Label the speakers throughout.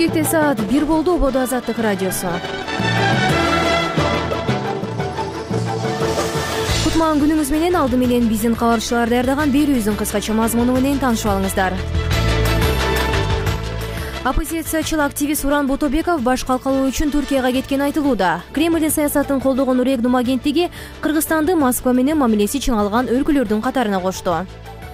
Speaker 1: Бишкекте саат 1 болду. Ободо Азаттык радиосу. Кутман күнүңүз менен алды менен биздин кабарчылар даярдаган берүүбүздүн кыскача мазмуну менен таанышып алыңыздар. Оппозициячыл активист Уран Ботобеков баш калкалоо үчүн Түркияга кеткени айтылууда. Кремлдин саясатын колдогон Регнум агенттиги Кыргызстанды Москва менен мамилеси чыңалган өлкөлөрдүн катарына кошту.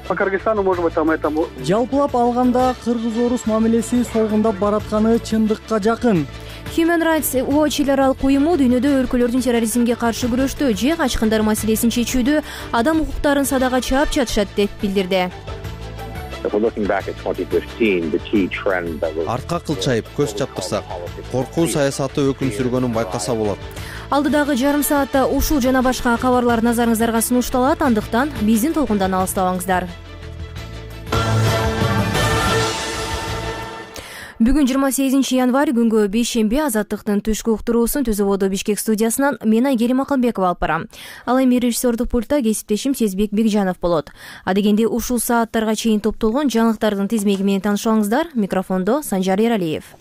Speaker 2: По Кыргызстану, может быть, там это...
Speaker 3: Жалпылап алганда кыргыз-орус мамилеси солгундап баратканы чындыкка жакын.
Speaker 1: Human Rights Watch эл аралык уюму дүйнөдө өлкөлөрдүн терроризмге каршы күрөштө же качкындар маселесин чечүүдө адам укуктарын садага чаап жатышат деп билдирди.
Speaker 4: Артка кылчайып көз чаптырсак, коркуу саясаты өкүм сүргөнүн байкаса болот.
Speaker 1: Алдыдагы жарым саатта ушул жана башка кабарлар назарыңыздарга сунушталат, андыктан биздин толкундан алыстабаңыздар. Бүгүн 28 январь күнгө бейшемби Азаттыктын түшкү уктуруусун Түз Ободо Бишкек студиясынан мен Айгерим Акылбекова алып барам. Ал эми режиссердук пультта кесиптешим Сезбек Бекжанов болот. Адегенде ушул сааттарга чейин топтолгон жаңылыктардын тизмеги менен таанышып алыңыздар. Микрофондо Санжар Эралиев.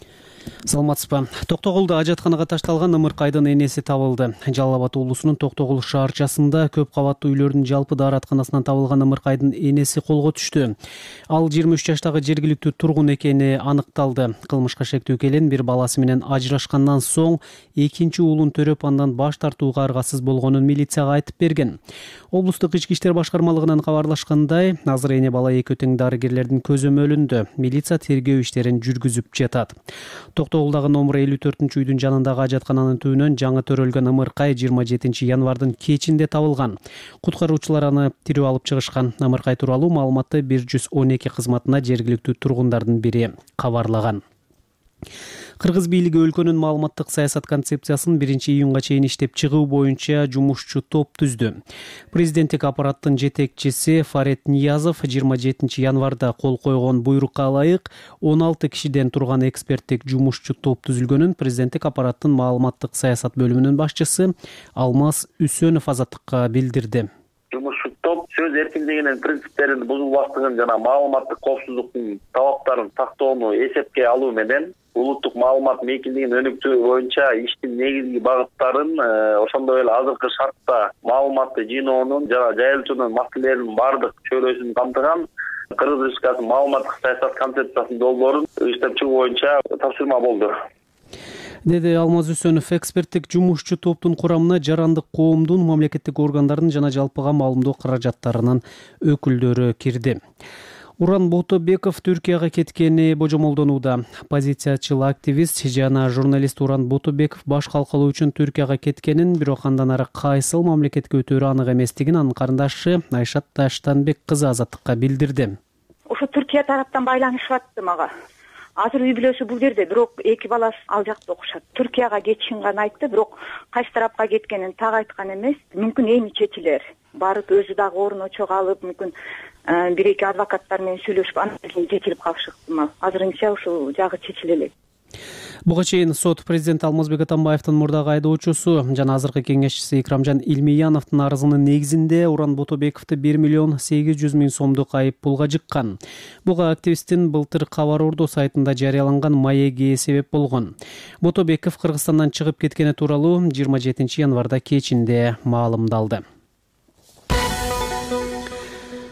Speaker 3: Саламатсызбы. Токтогулда ажатканага ташталган ымыркайдын энеси табылды. Жалал Абад уулусунун Токтогул шаарчасында көп кабаттуу үйлөрдүн жалпы дааратканасынан табылган ымыркайдын энеси колго түштү. Ал 23 жаштагы жергиликтүү тургун экени аныкталды. Кылмышка шектүү келин бир баласы менен ажырашкандан соң экинчи уулун төрөп андан баш тартууга аргасыз болгонун милицияга айтып берген. Облустук ички иштер башкармалыгынан кабарлашкандай, азыр эне бала экөө тең дарыгерлердин көзөмөлүндө. Милиция тергөө иштерин жүргүзүп жатат. Токтогулдагы номер 54-үйдүн жанындагы ажаткананын түбүнөн жаңы төрөлгөн ымыркай 27 январдын кечинде табылган. Куткаруучулар аны тирүү алып чыгышкан. Ымыркай тууралуу маалыматты 112 кызматына жергиликтүү тургундардын бири кабарлаган. Кыргыз бийлиги өлкөнүн маалыматтык саясат концепциясын 1-июнга чейин иштеп чыгуу боюнча жумушчу топ түздү. Президенттик аппараттын жетекчиси Фарет Ниязов 27 январда кол койгон буйрукка ылайык 16 кишиден турган эксперттик жумушчу топ түзүлгөнүн президенттик аппараттын маалыматтык саясат бөлүмүнүн башчысы Алмаз Үсөнов Азаттыкка билдирди.
Speaker 5: Жумушчу топ сөз эркиндигинин принциптерин бузулбастыгын жана маалыматтык коопсуздуктун талаптарын сактоону эсепке алуу менен улуттук маалымат мейкиндигин өнүктүү боюнча иштин негизги багыттарын, ошондой эле азыркы шартта маалыматты жыйноонун жана жайылтуунун маселелеринин бардык чөйрөсүн камтыган Кыргыз Республикасынын маалыматтык саясат концепциясынын долбоорун иштеп чыгуу боюнча тапшырма болду,
Speaker 3: деди Алмаз Үсөнов. Эксперттик жумушчу топтун курамына жарандык коомдун, мамлекеттик органдардын жана жалпыга маалымдоо каражаттарынын өкүлдөрү кирди. Уран Ботобеков Түркияга кеткени божомолдонууда. Оппозициячыл активист жана журналист Уран Ботобеков баш калкалоо үчүн Түркияга кеткенин, бирок андан ары кайсыл мамлекетке өтөөрү анык эместигин анын карындашы Айшат Таштанбек кызы Азаттыкка билдирди.
Speaker 6: Ошо Түркия тараптан байланышып атты мага. Азыр үй бүлөсү бул жерде, бирок эки баласы ал жакта окушат. Түркияга кетишин гана айтты, бирок кайсы тарапка кеткенин так айткан эмес. Мүмкүн эми чечилер. Барып өзү дагы орун очого алып, мүмкүн бир-эки адвокаттар менен сүйлөшүп, анан кийин чечилип калышы ыктымал. Азырынча ушул жагы чечиле элек.
Speaker 3: Буга чейин сот президент Алмазбек Атамбаевдин мурдагы айдоочусу жана азыркы кеңешчиси Икрамжан Илмияновдун арызынын негизинде Уран Ботобековду 1 миллион 800 миң сомдук айып пулга жыккан. Буга активисттин былтыр Кабар Ордо сайтында жарыяланган маеги себеп болгон. Ботобеков Кыргызстандан чыгып кеткени тууралуу 27 январда кечинде маалымдалды.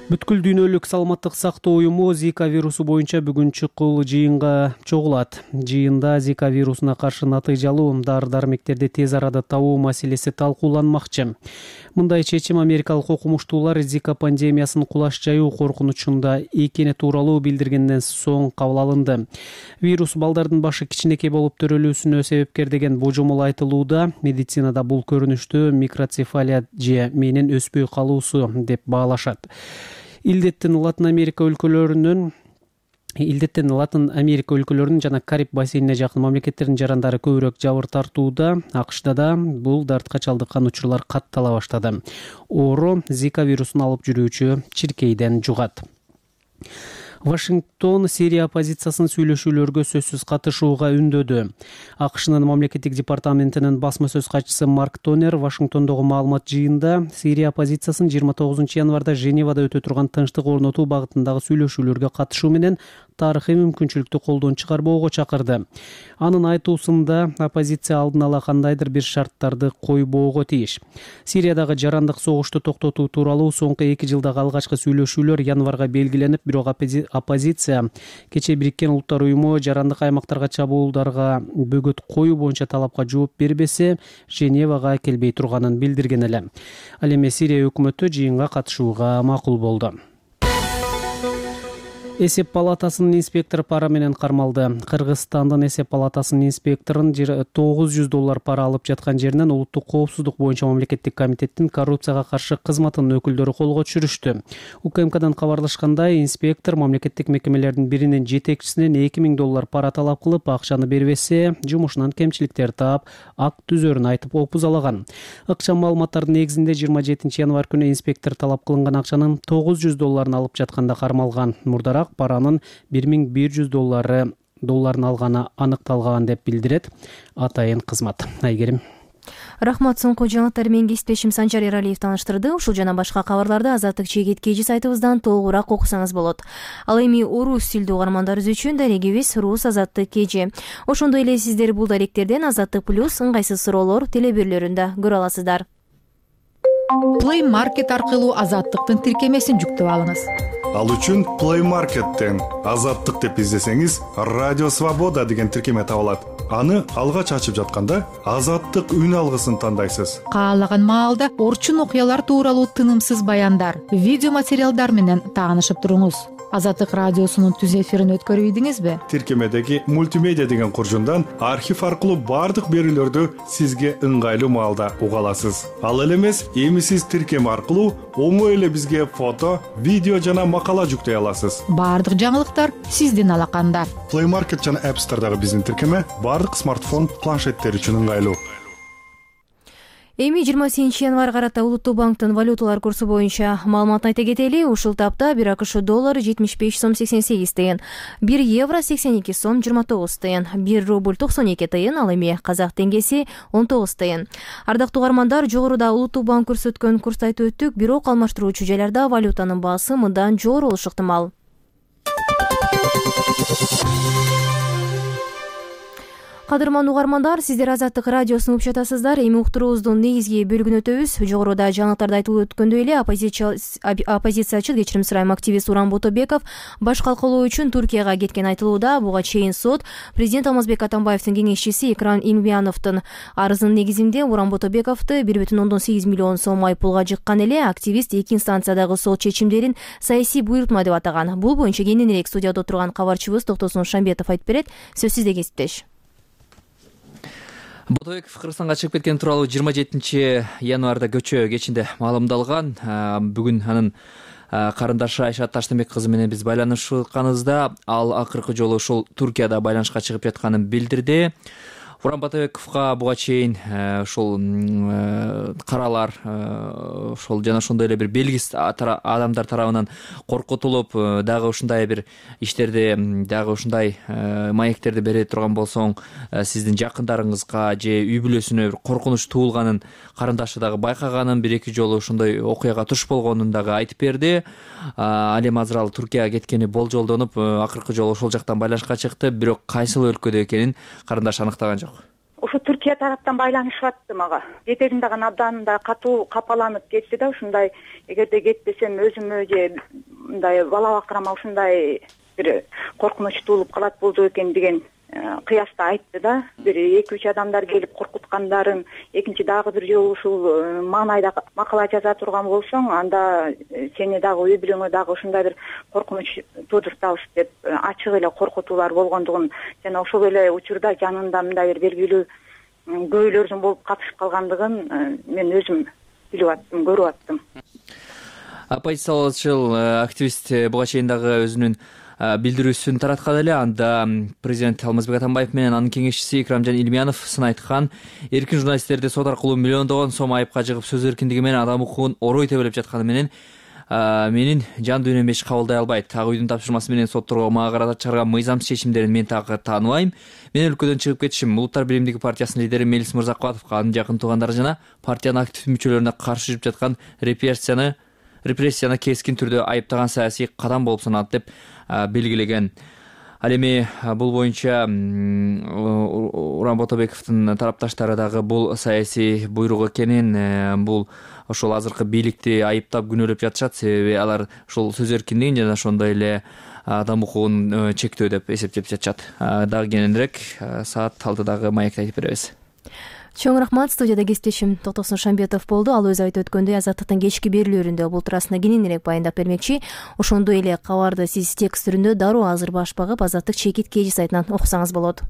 Speaker 3: Бүткүл дүйнөлүк саламаттык сактоо уюму Зика вирусу боюнча бүгүн чукул жыйынга чогулат. Жыйында Зика вирусуна каршы натыйжалуу дары-дармектерди тез арада табуу маселеси талкууланмакчы. Мындай чечим америкалык окумуштуулар Зика пандемиясынын кулаш жаюу коркунучунда экени тууралуу билдиргенден соң кабыл алынды. Вирус балдардын башы кичинекей болуп төрөлүүсүнө себепкер деген божомол айтылууда. Медицинада бул көрүнүштү микроцефалия же менин өспөй калуусу деп баалашат. Илдеттин Латын Америка өлкөлөрүнүн жана Кариб бассейнине жакын мамлекеттердин жарандары көбүрөөк жабыр тартууда. АКШда да бул дартка чалдыккан учурлар каттала баштады. Оору Зика вирусун алып жүрүүчү чиркейден жугат. Вашингтон Сирия оппозициясынын сүйлөшүүлөргө сөзсүз катышууга үндөдү. АКШнын мамлекеттик департаментинин басма сөз катчысы Марк Тонер Вашингтондогу маалымат жыйында Сирия оппозициясынын 29 январда Женевада өтө турган тынчтык орнотуу багытындагы сүйлөшүүлөргө катышуу менен тарыхый мүмкүнчүлүктү колдон чыгарбоого чакырды. Анын айтуусунда оппозиция алдын ала кандайдыр бир шарттарды койбоого тийиш. Сириядагы жарандык согушту токтотуу тууралуу соңку 2 жылдагы алгачкы сүйлөшүүлөр январга белгиленип, бирок оппозиция кечээ Бириккен Улуттар уюму жарандык аймактарга чабуулдарга бөгөт коюу боюнча талапка жооп бербесе, Женевага келбей турганын билдирген эле. Ал эми Сирия өкмөтү жыйынга катышууга макул болду. Эсеп палатасынын инспектору пара менен кармалды. Кыргызстандын эсеп палатасынын инспекторун $900 пара алып жаткан жеринен улуттук коопсуздук боюнча мамлекеттик комитеттин коррупцияга каршы кызматынын өкүлдөрү колго түшүрүштү. УКМКдан кабарлашкандай, инспектор мамлекеттик мекемелердин биринин жетекчисинен $2000 пара талап кылып, акчаны бербесе, жумушунан кемчиликтер таап, акт түзөрүн айтып опузалаган. Ыкчам маалыматтардын негизинде 27 январь күнү инспектор талап кылынган акчанын $900 алып жатканда кармалган. Мурдараак паранын $1100 алганы аныкталган деп билдирет атайын кызмат. Айгерим.
Speaker 1: Рахмат, соңку жаңылыктар менен кесиптешим Санжар Эралиев тааныштырды. Ушул жана башка кабарларды Азаттык чегет кежи сайтыбыздан толугураак окусаңыз болот. Ал эми орус тилдүү угармандарыбыз үчүн дарегибиз Рус Азаттык кежи. Ошондой эле сиздер бул даректерден Азаттык плюс ыңгайсыз суроолор телебирлөрүндө көрө аласыздар.
Speaker 7: Play Market аркылуу Азаттыктын тиркемесин жүктөп алыңыз.
Speaker 8: Ал үчүн Play Market'тен Азаттык деп издесеңиз, Радио Свобода деген тиркеме табылат. Аны алгач ачып жатканда Азаттык үн алгысын тандайсыз.
Speaker 7: Каалаган маалда орчун окуялар тууралуу тынымсыз баяндар, видео материалдар менен таанышып туруңуз. Азаттык радиосунун түз эфирин өткөрүп ийдиңизби?
Speaker 8: Тиркемедеги мультимедиа деген куржундан архив аркылуу бардык берүүлөрдү сизге ыңгайлуу маалда уга аласыз. Ал эле эмес, эми сиз тиркеме аркылуу оңой эле бизге фото, видео жана макала жүктөй аласыз.
Speaker 7: Бардык жаңылыктар сиздин алаканда.
Speaker 8: Play Market жана App Store'дагы биздин тиркеме бардык смартфон, планшеттер үчүн ыңгайлуу.
Speaker 1: Эми 28 январь карата Улуттук банктын валюталар курсу боюнча маалыматын айта кетели. Ушул тапта 1 АКШ доллары 75 сом 88 тыйын, 1 евро 82 сом 29 тыйын, 1 рубль 92 тыйын, ал эми казак теңгеси 19 тыйын. Ардактуу угармандар, жогоруда Улуттук банк көрсөткөн курсту айтып өттүк, бирок алмаштыруучу жайларда валютанын баасы мындан жогору болушу ыктымал. Кадырман угармандар, сиздер Азаттык радиосун угуп жатасыздар. Эми уктуруубуздун негизги бөлүгүнө өтөбүз. Жогоруда жаңылыктарда айтылып өткөндөй эле оппозициячы, кечирим сурайм, активист Уран Ботобеков баш калкалоо үчүн Туркияга кеткен айтылууда. Буга чейин сот президент Алмазбек Атамбаевдин кеңешчиси Экрам Имбияновдун арызынын негизинде Уран Ботобековду 1,8 миллион сом айыппулга жыккан эле. Активист 2 инстанциядагы сот чечимдерин саясий буйрутма деп атаган. Бул боюнча кененирээк студияда отурган кабарчыбыз Токтосун Шамбетов айтып берет. Сөз сизде, кесиптеш.
Speaker 9: Ботобеков Кыргызстанга чыгып кеткен тууралуу 27 январда көчө кечинде маалымдалган. Бүгүн анын карындашы Айшат Таштанбек кызы менен биз байланышканыбызда ал акыркы жолу ушул Туркияда байланышка чыгып жатканын билдирди. Уран Ботобековго буга чейин ушул каралар, ошол жана ошондой эле бир белгисиз адамдар тарабынан коркутулуп, дагы ушундай бир иштерди, дагы ушундай маектерди бере турган болсоң, сиздин жакындарыңызга же үй бүлөсүнө бир коркунуч туулганын карындашы дагы байкаганын, 1-2 жолу ошондой окуяга туш болгонун дагы айтып берди. Ал эми азыр ал Туркияга кеткени болжолдонуп, акыркы жолу ошол жактан байланышка чыкты, бирок кайсыл өлкөдө экенин карындаш аныктаган жок.
Speaker 6: Ошо Түркия тараптан байланышып атты мага. Жетелин дагы абдан да катуу капаланып кетти да, ушундай эгерде кетпесем өзүмө же мындай бала бактырама ушундай бир коркунуч туулуп калат болду экен деген кыяста айтты да. Бир 2-3 адамдар келип коркуткандарын, экинчи дагы бир жолу ушул маанайда макала жаза турган болсоң, анда сени дагы үй бүлөңө дагы ушундай бир коркунуч туудуртабыз деп ачык эле коркутуулар болгондугун жана ошол эле учурда жанында мындай бир белгилүү көйлөрдүн болуп катышып калгандыгын мен өзүм билип аттым, көрүп аттым.
Speaker 9: Оппозициялчыл активист буга чейин дагы өзүнүн билдирүүсүн тараткан эле. Анда президент Алмазбек Атамбаев менен анын кеңешчиси Икрамжан Илмиянов сын айткан. Эркин журналисттерди сот аркылуу миллиондогон сом айыпка жыгып, сөз эркиндиги менен адам укугун орой тебелеп жатканы менен менин жан дүйнөм эч кабылдай албайт. Так үйдүн тапшырмасы менен сотторго мага карата чыгарган мыйзамсыз чечимдерин мен так тааныбайм. Мен өлкөдөн чыгып кетишим Улуттар биримдиги партиясынын лидери Мелис Мырзакбатовго, анын жакын туугандары жана партиянын активдүү мүчөлөрүнө каршы жүрүп жаткан репрессияны кескин түрдө айыптаган саясий кадам болуп саналат деп белгилеген. Ал эми бул боюнча Уран Ботобековдун тарапташтары дагы бул саясий буйрук экенин, бул ошол азыркы бийликти айыптап күнөөлөп жатышат. Себеби алар ошол сөз эркиндигин жана ошондой эле адам укугун чектөө деп эсептеп жатышат. Дагы кененирээк саат 6-дагы маекте айтып беребиз.
Speaker 1: Чоң рахмат. Студияда кесиптешим Токтосун Шамбетов болду. Ал өзү айтып өткөндөй, Азаттыктын кечки берүүлөрүндө бул туурасында кененирээк баяндап бермекчи. Ошондой эле кабарды сиз текст түрүндө дароо азыр баш багып Азаттык чекит кежи сайтынан окусаңыз болот.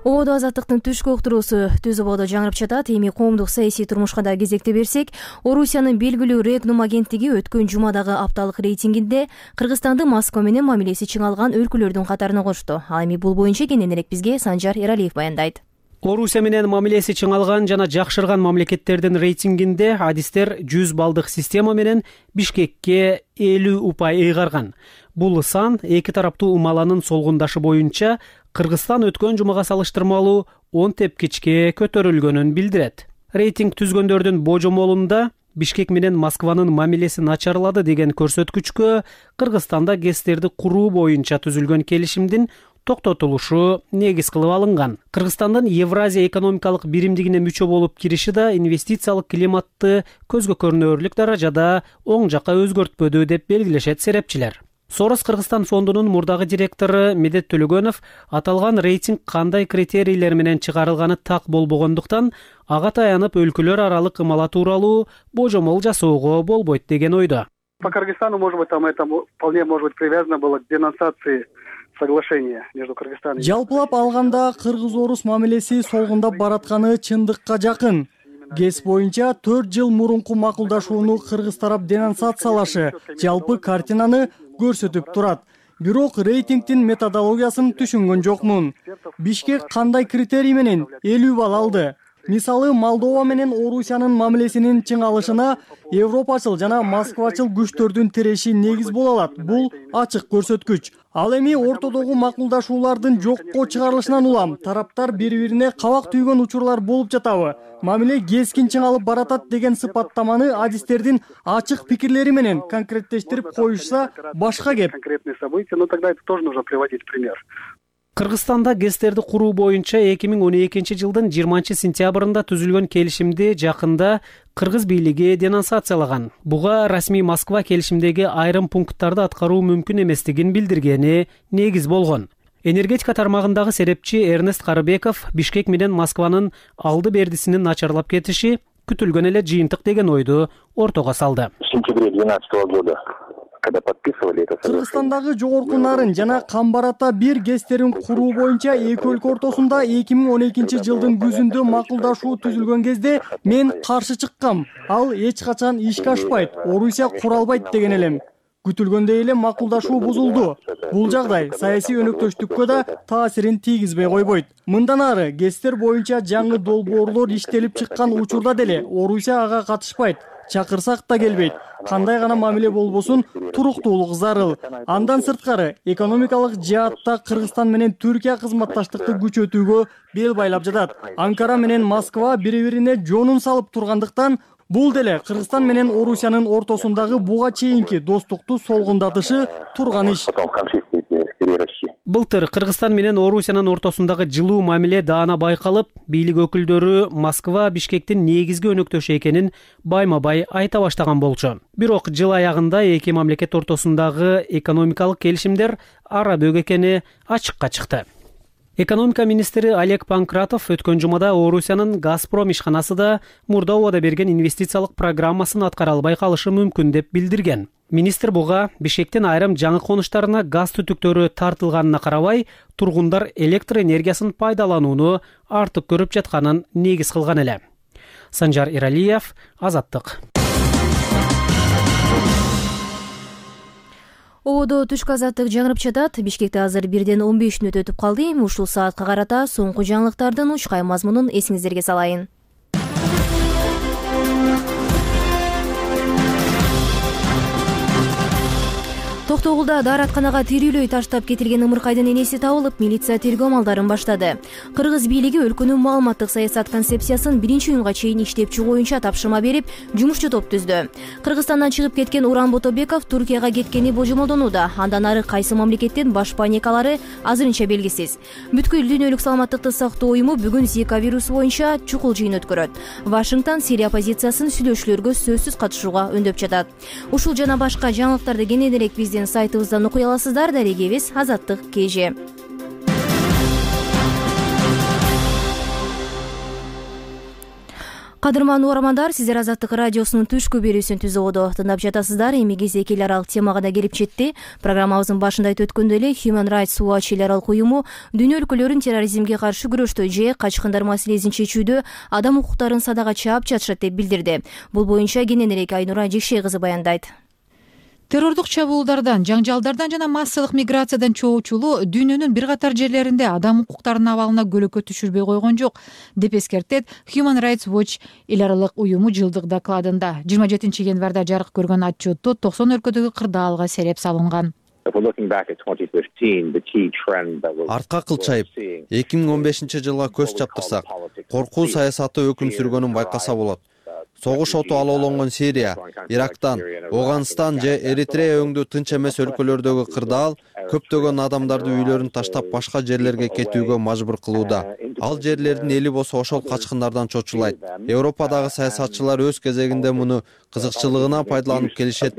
Speaker 1: Ободо Азаттыктын түшкү уктуруусу түз ободо жаңырып жатат. Эми коомдук саясий турмушка да кезекте берсек, Орусиянын белгилүү Регнум агенттиги өткөн жумадагы апталык рейтингинде Кыргызстанды Москва менен мамилеси чыңалган өлкөлөрдүн катарына кошту. Ал эми бул боюнча кененирээк бизге Санжар Эралиев баяндайт.
Speaker 3: Орусия менен мамилеси чыңалган жана жакшырган мамлекеттердин рейтингинде адистер 100 балдык система менен Бишкекке 50 упай ыйгарган. Бул сан эки тараптуу умаланын солгундашы боюнча Кыргызстан өткөн жумага салыштырмалуу 10 тепкичке көтөрүлгөнүн билдирет. Рейтинг түзгөндөрдүн божомолунда Бишкек менен Москванын мамилеси начарлады деген көрсөткүчкө Кыргызстанда ГЭСтерди куруу боюнча түзүлгөн келишимдин токтотулушу негиз кылып алынган. Кыргызстандын Евразия экономикалык биримдигине мүчө болуп кириши да инвестициялык климатты көзгө көрүнөрлүк даражада оң жакка өзгөртпөдү деп белгилешет серепчилер. Сорос Кыргызстан фондунун мурдагы директору Медет Төлөгөнов аталган рейтинг кандай критерийлер менен чыгарылганы так болбогондуктан ага таянып өлкөлөр аралык ымала тууралуу божомол жасоого болбойт деген ойдо.
Speaker 2: По Кыргызстану, может быть, там это вполне может быть привязано было к денонсации соглашения между Кыргызстаном и...
Speaker 10: Жалпылап алганда кыргыз-орус мамилеси солгундап баратканы чындыкка жакын. ГЭС боюнча 4 жыл мурунку макулдашууну кыргыз тарап денонсациялашы жалпы картинаны көрсөтүп турат. Бирок рейтингдин методологиясын түшүнгөн жокмун. Бишкек кандай критерий менен 50 балл алды? Мисалы, Молдова менен Орусиянын мамилесинин чыңалышына европачыл жана москвачыл күчтөрдүн тиреши негиз боло алат. Бул ачык көрсөткүч. Ал эми ортодогу макулдашуулардын жокко чыгарылышынан улам тараптар бири-бирине кабак түйгөн учурлар болуп жатабы? Мамиле кескин чыңалып баратат деген сыпаттаманы адистердин ачык пикирлери менен конкреттештирип коюшса башка кеп.
Speaker 2: Конкретные события, но тогда это тоже нужно приводить пример.
Speaker 3: Кыргызстанда ГЭСтерди куруу боюнча 2012 жылдын 20 сентябрында түзүлгөн келишимди жакында кыргыз бийлиги денонсациялаган. Буга расмий Москва келишимдеги айрым пункттарды аткаруу мүмкүн эместигин билдиргени негиз болгон. Энергетика тармагындагы серепчи Эрнест Карыбеков Бишкек менен Москванын алды бердисинин начарлап кетиши күтүлгөн эле жыйынтык деген ойду ортого салды.
Speaker 11: В сентябре 2012 года, когда подписывали это соглашение,
Speaker 10: Кыргызстандагы жогорку Нарын жана Камбарата 1 ГЭСтерин куруу боюнча эки өлкө ортосунда 2012 жылдын күзүндө макулдашуу түзүлгөн кезде мен каршы чыккам. Ал эч качан ишке ашпайт, Орусия кура албайт деген элем. Күтүлгөндөй эле макулдашуу бузулду. Бул жагдай саясий өнөктөштүккө да таасирин тийгизбей койбойт. Мындан ары ГЭСтер боюнча жаңы долбоорлор иштелип чыккан учурда деле Орусия ага катышпайт. Чакырсак да келбейт. Кандай гана мамиле болбосун, туруктуулук зарыл. Андан сырткары экономикалык жаатта Кыргызстан менен Түркия кызматташтыкты күчөтүүгө бел байлап жатат. Анкара менен Москва бири-бирине жонун салып тургандыктан бул деле Кыргызстан менен Орусиянын ортосундагы буга чейинки достукту солгундатышы турган иш.
Speaker 3: Былтыр Кыргызстан менен Орусиянын ортосундагы жылуу мамиле даана байкалып, бийлик өкүлдөрү Москва Бишкектин негизги өнөктөшү экенин байма-бай айта баштаган болчу. Бирок жыл аягында эки мамлекет ортосундагы экономикалык келишимдер ара бөк экени ачыкка чыкты. Экономика министри Олег Панкратов өткөн жумада Орусиянын Газпром ишканасы да мурда убада берген инвестициялык программасын аткара албай калышы мүмкүн деп билдирген. Министр буга Бишкектин айрым жаңы конуштарына газ түтүктөрү тартылганына карабай, тургундар электр энергиясын пайдаланууну артык көрүп жатканын негиз кылган эле. Санжар Эралиев, Азаттык.
Speaker 1: Ободо түшкү азаттык жаңырып жатат. Бишкекте азыр 1:15 өтүп калды. Ушул саатка карата соңку жаңылыктардын учкай мазмунун эсиңиздерге салайын. Токтогулда дааратканага тирүүлөй таштап кетилген ымыркайдын энеси табылып, милиция тергөө амалдарын баштады. Кыргыз бийлиги өлкөнүн маалыматтык саясат концепциясын 1-июнга чейин иштеп чыгуу боюнча тапшырма берип, жумушчу топ түздү. Кыргызстандан чыгып кеткен Уран Ботобеков Туркияга кеткени божомолдонууда. Андан ары кайсы мамлекеттин баш паникалары азырынча белгисиз. Бүткүл дүйнөлүк саламаттыкты сактоо уюму бүгүн Зика вирусу боюнча чукул жыйын өткөрөт. Вашингтон Сирия оппозициясын сүйлөшүүлөргө сөзсүз катышууга үндөп жатат. Ушул жана башка жаңылыктарды кененирээк биздин сайтыбыздан окуй аласыздар. Дарегебиз Азаттык КЖ. Кадырман угармандар, сиздер Азаттык радиосунун түшкү берүүсүн түзүүдө тыңдап жатасыздар. Эми кезек эл аралык темага да келип жетти. Программабыздын башында айтып өткөндөй эле Human Rights Watch эл аралык уюму дүйнө өлкөлөрүн терроризмге каршы күрөштө же качкындар маселесин чечүүдө адам укуктарын садага чаап жатышат деп билдирди. Бул боюнча кененирээк Айнура Жекшей кызы баяндайт.
Speaker 7: Террордук чабуулдардан, жаңжалдардан жана массалык миграциядан чоочулуу дүйнөнүн бир катар жерлеринде адам укуктарынын абалына көлөкө түшүрбөй койгон жок, деп эскертет Human Rights Watch эл аралык уюму жылдык докладында. 27 январда жарык көргөн отчетто 90 өлкөдөгү кырдаалга сереп салынган.
Speaker 4: Артка кылчайып 2015-жылга көз чаптырсак, коркуу саясаты өкүм сүргөнүн байкаса болот. Согуш оту алоолонгон Сирия, Ирактан, Афганистан же Эритрея өңдүү тынч эмес өлкөлөрдөгү кырдаал көптөгөн адамдарды үйлөрүн таштап башка жерлерге кетүүгө мажбур кылууда. Ал жерлердин эли болсо ошол качкындардан чочулайт. Европадагы саясатчылар өз кезегинде муну кызыкчылыгына пайдаланып келишет,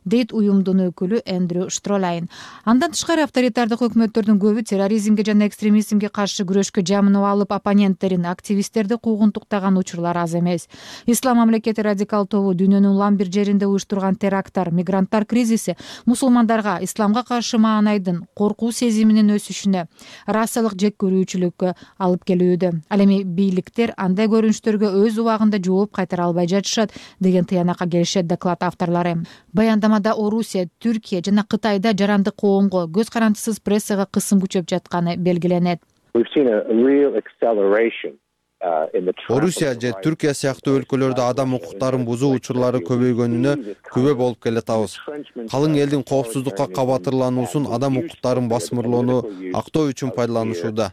Speaker 7: дейт уюмдун өкүлү Эндрю Штролайн. Андан тышкары авторитардык өкмөттөрдүн көбү терроризмге жана экстремизмге каршы күрөшкө жамынып алып, оппоненттерин, активисттерди куугунтуктаган учурлар аз эмес. Ислам мамлекети радикал тобу дүйнөнүн улам бир жеринде уюштурган теракттар, мигранттар кризиси мусулмандарга исламга каршы маанайдын коркуу сезиминин өсүшүнө, расалык жеккөрүүчүлүккө алып келүүдө. Ал эми бийликтер андай көрүнүштөргө өз убагында жооп кайтара албай жатышат деген тыянакка келишет доклад авторлору. Баяндамада Орусия, Түркия жана Кытайда жарандык коомго, көз карандысыз прессага кысым күчөп жатканы белгиленет.
Speaker 4: Орусия же Түркия сыяктуу өлкөлөрдө адам укуктарын бузуу учурлары көбөйгөнүнө күбө болуп келатабыз. Калың элдин коопсуздукка кабатырлануусун адам укуктарын басмырлоону актоо үчүн пайдаланышууда.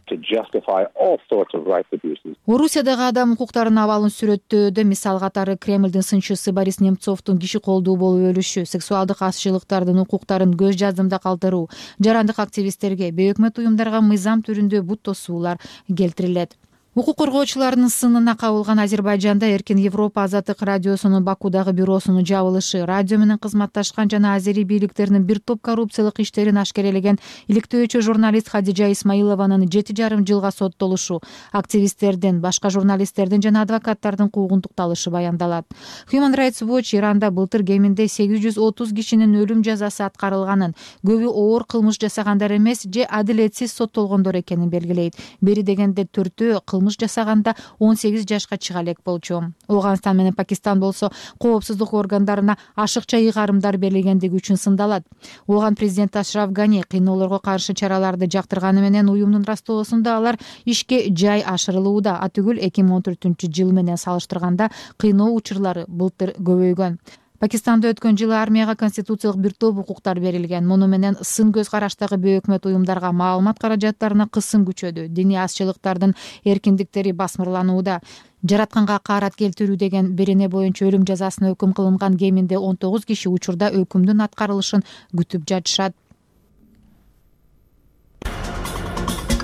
Speaker 7: Орусиядагы адам укуктарынын абалын сүрөттөөдө мисал катары Кремлдин сынчысы Борис Немцовдун киши колдуу болуп өлүшү, сексуалдык азчылыктардын укуктарын көз жаздымда калтыруу, жарандык активисттерге, бейөкмөт уюмдарга мыйзам түрүндө бут тосуулар келтирилет. Укук коргоочулардын сынына кабылган Азербайжанда Эркин Европа Азаттык радиосунун Бакудагы бюросунун жабылышы, радио менен кызматташкан жана азери бийликтеринин бир топ коррупциялык иштерин ашкерелеген иликтөөчү журналист Хадижа Исмаилованын 7,5 жылга соттолушу, активисттердин, башка журналисттердин жана адвокаттардын куугунтукталышы баяндалат. Human Rights Watch Иранда былтыр кеминде 830 кишинин өлүм жазасы аткарылганын, көбү оор кылмыш жасагандар эмес же адилетсиз соттолгондор экенин белгилейт. Бери дегенде 4-өө кылмыш жасаганда 18 жашка чыга элек болчу. Афганистан менен Пакистан болсо коопсуздук органдарына ашыкча ыйгарымдар берилгендиги үчүн сындалат. Афган президенти Ашраф Гани кыйноолорго каршы чараларды жактырганы менен уюмдун растоосунда алар ишке жай ашырылууда. Атүгүл 2014-жыл менен салыштырганда кыйноо учурлары былтыр көбөйгөн. Пакистанда өткөн жылы армияга конституциялык бир топ укуктар берилген. Муну менен сын көз караштагы бейөкмөт уюмдарга маалымат каражаттарына кысым күчөдү. Диний азчылыктардын эркиндиктери басмырланууда. Жаратканга каарат келтирүү деген берене боюнча өлүм жазасына өкүм кылынган кеминде 19 киши учурда өкүмдүн аткарылышын күтүп жатышат.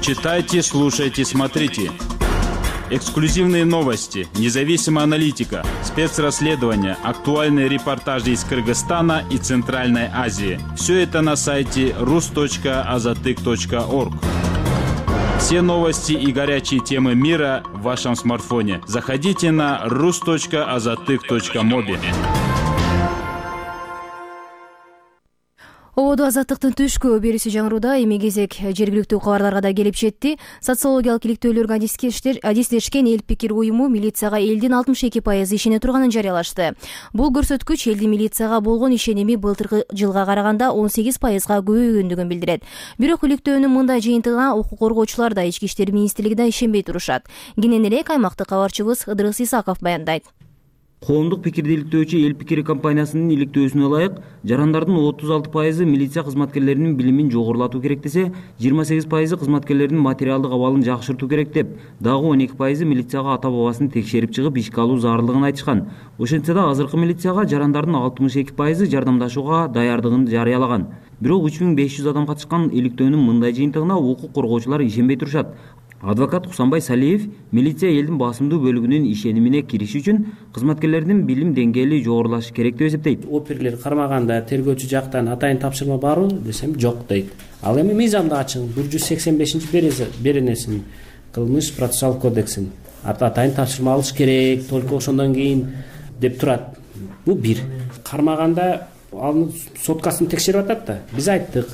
Speaker 12: Читайте, слушайте, смотрите. Эксклюзивные новости, независимая аналитика, спецрасследования, актуальные репортажи из Кыргызстана и Центральной Азии. Все это на сайте rus.azatyk.org. Все новости и горячие темы мира в вашем смартфоне. Заходите на rus.azatyk.mobi.
Speaker 1: Ободо Азаттыктын түшкү берүүсү жаңырууда. Эми кезек жергиликтүү кабарларга да келип жетти. Социологиялык иликтөөлөргө адистешкен Эл пикир уюму милицияга элдин 62% ишене турганын жарыялашты. Бул көрсөткүч элдин милицияга болгон ишеними былтыркы жылга караганда 18%га көбөйгөндүгүн билдирет. Бирок иликтөөнүн мындай жыйынтыгына укук коргоочулар да, Ички иштер министрлиги да ишенбей турушат. Кененирээк аймактык кабарчыбыз Ыдырыс Исаков баяндайт.
Speaker 13: Коомдук пикирди иликтөөчү Эл пикири компаниясынын иликтөөсүнө ылайык, жарандардын 36% милиция кызматкерлеринин билимин жогорулатуу керек десе, 28% кызматкерлердин материалдык абалын жакшыртуу керек деп, дагы 12% милицияга ата-бабасын текшерип чыгып ишке алуу зарылдыгын айтышкан. Ошентсе да азыркы милицияга жарандардын 62% жардамдашууга даярдыгын жарыялаган. Бирок 3500 адам катышкан иликтөөнүн мындай жыйынтыгына укук коргоочулар ишенбей турушат. Адвокат Кусанбай Салиев милиция элдин басымдуу бөлүгүнүн ишенимине кириш үчүн кызматкерлердин билим деңгээли жогорулашы керек деп эсептейт.
Speaker 14: Оперлер кармаганда тергөөчү жактан атайын тапшырма барбы десем жок дейт. Ал эми мыйзамда ачык 185-беренесин кылмыш процессуалдык кодексин атайын тапшырма алыш керек, только ошондон кийин деп турат. Бул бир. Кармаганда анын соткасын текшерип атат да. Биз айттык,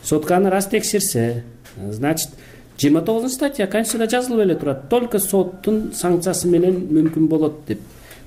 Speaker 14: сотканы раз текшерсе, значит 29 статья Конституцияда жазылып эле турат. Только соттун санкциясы менен мүмкүн болот деп.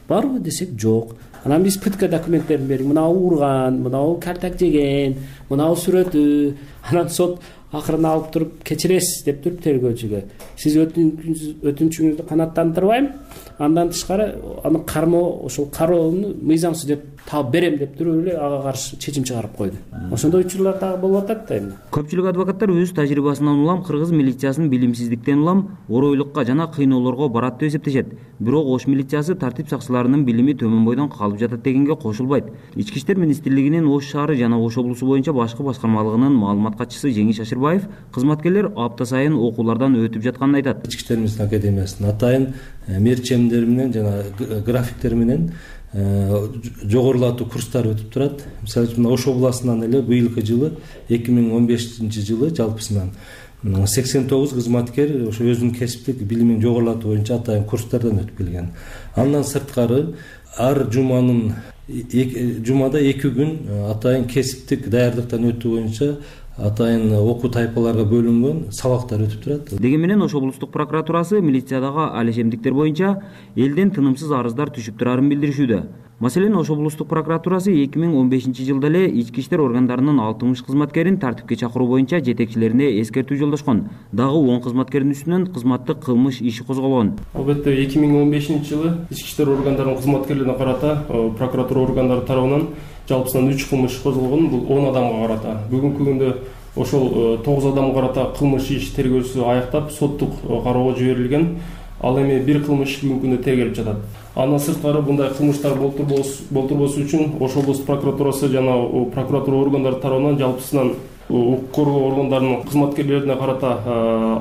Speaker 14: Барбы десек жок. Анан биз пытка документтерин берип, мынау урган, мынау картак жеген, мынау сүрөтү. Анан сот акырын алып туруп кечиресиз деп туруп тергөөчүгө. Сиз өтүнчүңүздү канааттандырбайм. Андан тышкары аны кармоо, ошол кароону мыйзамсыз деп таап берем деп туруп эле ага каршы чечим чыгарып койду. Ошондой учурлар дагы болуп атат да эми.
Speaker 13: Көпчүлүк адвокаттар өз тажрыйбасынан улам кыргыз милициясынын билимсиздиктен улам оройлукка жана кыйноолорго барат деп эсептешет. Бирок Ош милициясы тартип сакчыларынын билими төмөн бойдон калып жатат дегенге кошулбайт. Ички иштер министрлигинин Ош шаары жана Ош облусу боюнча башкы башкармалыгынын маалымат катчысы Жеңиш Ашырбаев кызматкерлер апта сайын окуулардан өтүп жатканын айтат.
Speaker 15: Ички иштер министрлигинин академиясынын атайын мерчемдер менен жана графиктер менен жогорулатуу курстар өтүп турат. Мисалы үчүн Ош областынан эле быйылкы жылы 2015-жылы жалпысынан 89 кызматкер ошо өзүнүн кесиптик билимин жогорулатуу боюнча атайын курстардан өтүп келген. Андан сырткары ар жумада 2 күн атайын кесиптик даярдыктан өтүү боюнча атайын окуу тайпаларга бөлүнгөн сабактар өтүп турат.
Speaker 13: Деген менен Ош облустук прокуратурасы милициядагы алешемдиктер боюнча элден тынымсыз арыздар түшүп турарын билдиришүүдө. Маселен, Ош облустук прокуратурасы 2015-жылда эле ички иштер органдарынын 60 кызматкерин тартипке чакыруу боюнча жетекчилерине эскертүү жолдошкон. Дагы 10 кызматкердин үстүнөн кызматтык кылмыш иши козголгон.
Speaker 16: Албетте 2015-жылы ички иштер органдарынын кызматкерлерине карата прокуратура органдары тарабынан жалпысынан 3 кылмыш козголгон. Бул 10 адамга карата. Бүгүнкү күндө ошол 9 адамга карата кылмыш иш тергөөсү аяктап, соттук кароого жиберилген. Ал эми бир кылмыш бүгүнкү күндө тергелип жатат. Андан сырткары мындай кылмыштар болтурбосу үчүн Ош облустук прокуратурасы жана прокуратура органдары тарабынан жалпысынан укук коргоо органдарынын кызматкерлерине карата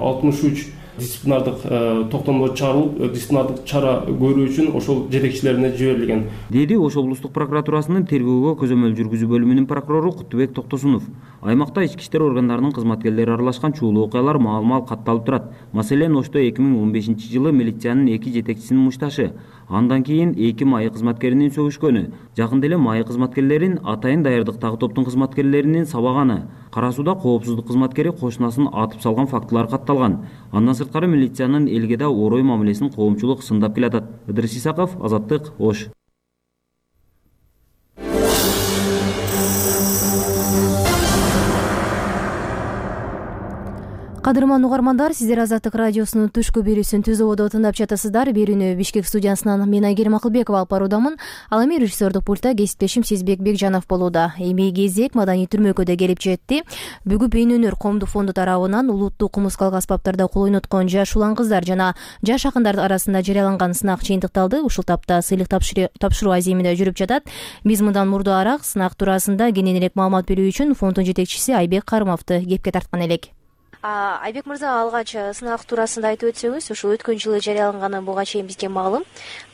Speaker 16: 63 дисциплинардык токтомдор чыгарылып, дисциплинардык чара көрүү үчүн ошол жетекчилерине жиберилген.
Speaker 13: Деди Ош облустук прокуратурасынын тергөөгө көзөмөл жүргүзүү бөлүмүнүн прокурору Кутубек Токтосунов. Аймакта ички иштер органдарынын кызматкерлери аралашкан чуулуу окуялар маал-мал катталып турат. Маселен, Ошто 2015-жылы милициянын 2 жетекчисинин мушташы, андан кийин 2 майы кызматкеринин сөгүшкөнү, жакында эле майы кызматкерлерин атайын даярдыктагы топтун кызматкерлеринин сабаганы, Кара Сууда коопсуздук кызматкери кошунасын атып салган фактылар катталган. Андан сырткары милициянын элге да орой мамилесин коомчулук сындап келатат. Ыдырыс Исаков, Азаттык, Ош.
Speaker 1: Кадырман угармандар, сиздер Азаттык радиосунун түшкү берүүсүн Түз ободо тыңдап жатасыздар. Берүүнү Бишкек студиясынан мен Айгерим Акылбекова алып баруудамын. Ал эми режиссердук пультта кесиптешим Сезбек Бекжанов болууда. Эми кезек маданий түрмөкөдө келип жетти. Бүгүн Бейнөнөр коомдук фонду тарабынан улуттук музыкалык аспаптарда кол ойноткон жаш улан кыздар жана жаш акындар арасында жарыяланган сынак жыйынтыкталды. Ушул тапта сыйлык тапшыруу аземинде жүрүп жатат. Биз мындан мурдураак сынак туурасында кененирээк маалымат берүү үчүн фонддун жетекчиси Айбек Карымовду кепке тарткан элек. Айбек мырза, алгач сынак туурасында айтып өтсөңүз, ушул өткөн жылы жарыяланганы буга чейин бизге маалым.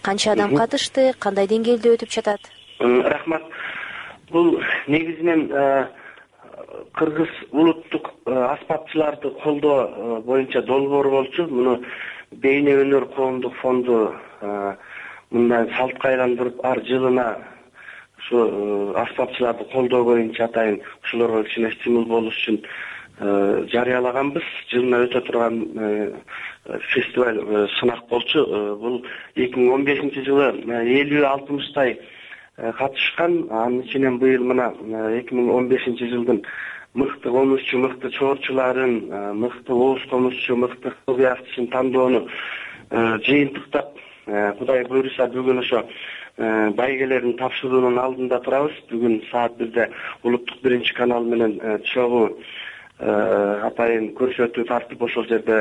Speaker 1: Канча адам катышты, кандай деңгээлде өтүп жатат?
Speaker 17: Рахмат. Бул негизинен кыргыз улуттук аспапчыларды колдоо боюнча долбоор болчу. Муну Бейнөнөр коомдук фонду мындай салтка айландырып, ар жылына ушу аспапчыларды колдоо боюнча атайын ушулорго кичине стимул болуш үчүн жарыялаганбыз. Жылына өтө турган фестиваль сынак болчу. Бул 2015-жылы 50-60 катышкан. Анын ичинен быйыл мына 2015-жылдын мыкты комузчу, мыкты чоорчуларын, мыкты ооз комузчу, мыкты кыл быяктысын тандоону жыйынтыктап Кудай буйруса бүгүн ошо байгелердин тапшыруунун алдында турабыз. Бүгүн саат 1-де улуттук 1-канал менен чогуу атайын көрсөтүү тартып ошол жерде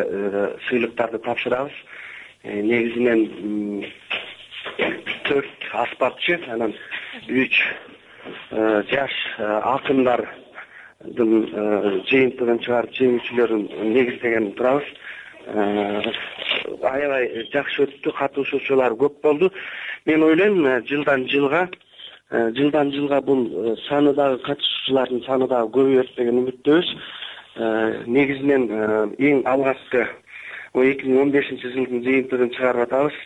Speaker 17: сыйлыктарды тапшырабыз. Негизинен 4 аспапчы, анан 3 жаш акындардын жыйынтыгын чыгарып жеңүүчүлөрүн негиздеген турабыз. Аябай жакшы өттү, катышуучулар көп болду. Мен ойлойм, жылдан жылга бул саны дагы катышуучулардын саны дагы көбөйөт деген үмүттөбүз. Негизинен эң алгачкы 2015-жылдын жыйынтыгын чыгарып атабыз.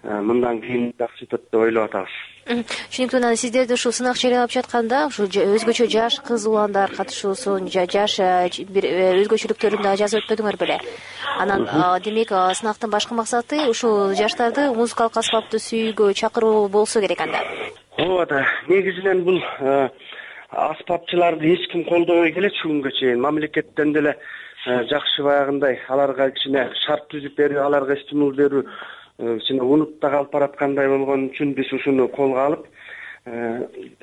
Speaker 17: Мындан кийин жакшы өтөт деп ойлоп атабыз.
Speaker 1: Түшүнүктүү. Анан сиздерди ушул сынак жарыялап жатканда ушу өзгөчө жаш кыз уландар катышуусун, жаш бир өзгөчөлүктөрүн дагы жазып өтпөдүңөр беле? Анан демек сынактын башкы максаты ушул жаштарды музыкалык аспапты сүйүүгө чакыруу болсо керек анда.
Speaker 17: Ооба, негизинен бул аспапчыларды эч ким колдобой келет бүгүнгө чейин. Мамлекеттен деле жакшы баягындай аларга кичине шарт түзүп берүү, аларга стимул берүү кичине унутта калып бараткандай болгон үчүн биз ушуну колго алып,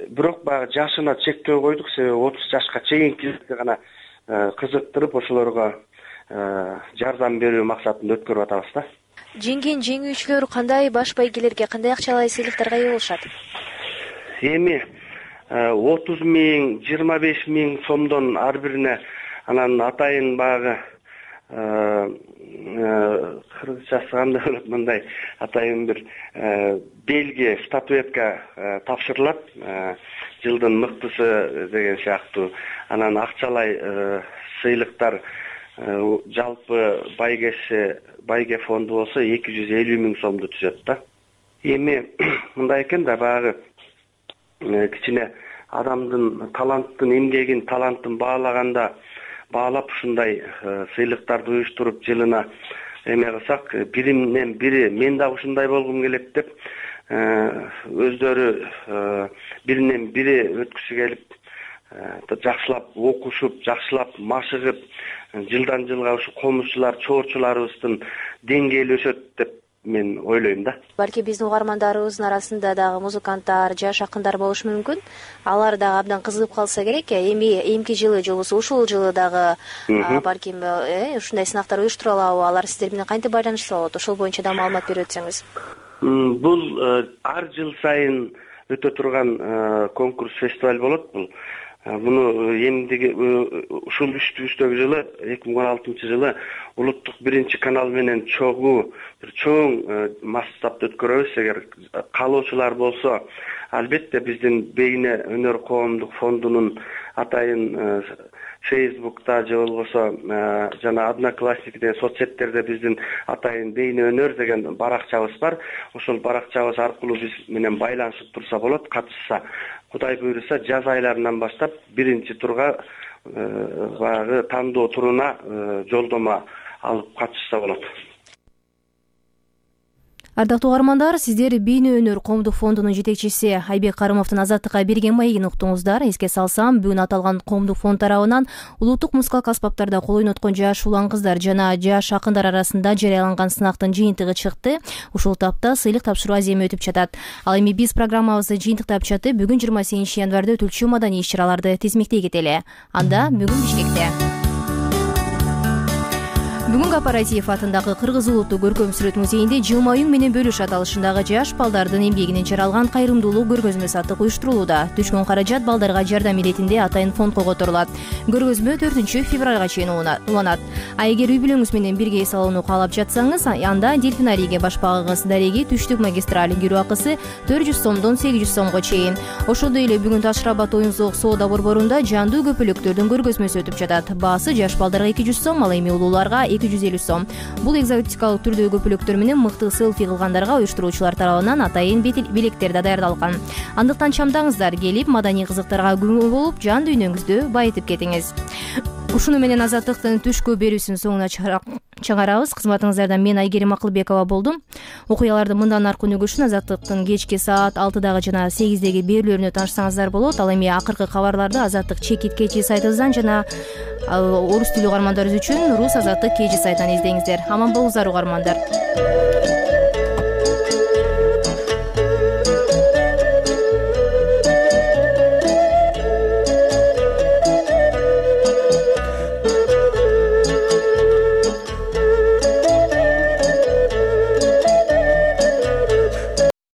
Speaker 17: бирок баягы жашына чектөө койдук, себеби 30 жашка чейинкилерди гана кызыктырып, ошолорго жардам берүү максатында өткөрүп атабыз да.
Speaker 1: Жеңген жеңүүчүлөр кандай баш байгелерге, кандай акчалай сыйлыктарга ээ болушат?
Speaker 17: Эми 30 000, 25 000 сомдон ар бирине, анан атайын баягы кыргызчасы кандай болот, мындай атайын бир белги, статуэтка тапшырылат, жылдын мыктысы деген сыяктуу. Анан акчалай сыйлыктар жалпы байге фонду болсо 250 000 сомду түзөт да. Эми мындай экен да, баягы кичине адамдын таланттын эмгегин, талантын баалап ушундай сыйлыктарды уюштуруп жылына эме кылсак, биринен бири мен да ушундай болгум келет деп өздөрү биринен бири өткүсү келип, жакшылап окушуп, жакшылап машыгып, жылдан жылга ушу комузчулар, чоорчуларыбыздын деңгээли өсөт деп мен ойлойм да.
Speaker 1: Балки биздин угармандарыбыздын арасында дагы музыканттар, жаш акындар болушу мүмкүн. Алар дагы абдан кызыгып калса керек. Эмки жылы же болбосо ушул жылы дагы балким ушундай сынактар уюштура алабы? Алар сиздер менен кантип байланышса болот? Ошол боюнча да маалымат берип өтсөңүз.
Speaker 17: Бул ар жыл сайын өтө турган конкурс, фестиваль болот бул. Буну эмдиги ушул үстөгү жылы 2016 жылы улуттук 1-канал менен чоң масштабта өткөрөбүз. Эгер каалоочулар болсо, албетте биздин Бейне өнөр коомдук фондунун атайын Facebook'ta же болбосо жана Одноклассникте, соцсеттерде биздин атайын Бейне өнөр деген баракчабыз бар. Ошол баракчабыз аркылуу биз менен байланышып турса болот, катышса. Кудай буйруса жаз айларынан баштап 1-турга баягы тандоо туруна жолдомо алып катышса болот.
Speaker 1: Ардактуу угармандар, сиздер Бейне өнөр коомдук фондунун жетекчиси Айбек Карымовдун Азаттыкка берген маегин уктуңуздар. Эске салсам, бүгүн аталган коомдук фонд тарабынан улуттук музыкалык аспаптарда кол ойноткон жаш улан кыздар жана жаш акындар арасында жарыяланган сынактын жыйынтыгы чыкты. Ушул тапта сыйлык тапшыруу аземи өтүп жатат. Ал эми биз программабызды жыйынтыктап жатып, бүгүн 28 январда өтүлчү маданий иш-чараларды тизмектей кетели. Анда бүгүн Бишкекте Бүгүн Кооператив атындагы Кыргыз улуттук көркөм сүрөт музейинде жылмаюң менен бөлүш аталышындагы жаш балдардын эмгегинен жаралган кайрымдуулук көргөзмө сатык уюштурулууда. Түшкөн каражат балдарга жардам иретинде атайын фондко которулат. Көргөзмө 4-февралга чейин уланат. А эгер үй бүлөңүз менен бирге эс алууну каалап жатсаңыз, анда дельфинарийге башпагыңыз дареги түштүк магистраль кирүү акысы 400 сомдон 800 сомго чейин. Ошондой эле бүгүн Таш Рабат оюн-зоок соода борборунда жандуу көпөлөктөрдүн көргөзмөсү өтүп жатат. Баасы жаш балдарга 200 сом, ал эми улууларга 250 сом. Бул экзотикалык түрдөгү көпөлөктөр менен мыкты селфи кылгандарга уюштуруучулар тарабынан атайын белектер да даярдалган. Андыктан чамдаңыздар, келип маданий кызыктарга күбө болуп, жан дүйнөңүздү байытып кетиңиз. Ушуну менен Азаттыктын түшкү берүүсүнүн соңуна чыгарабыз. Кызматыңыздарда мен Айгерим Акылбекова болдум. Окуяларды мындан аркы өнүгүшүн Азаттыктын кечки саат 6-дагы жана 8-деги берүүлөрүнө таанышсаңыздар болот. Ал эми акыркы кабарларды Азаттык чекит кечи сайтыбыздан жана орус тилдүү угармандарыбыз үчүн Рус Азаттык кечи сайтынан издеңиздер. Аман болуңуздар угармандар.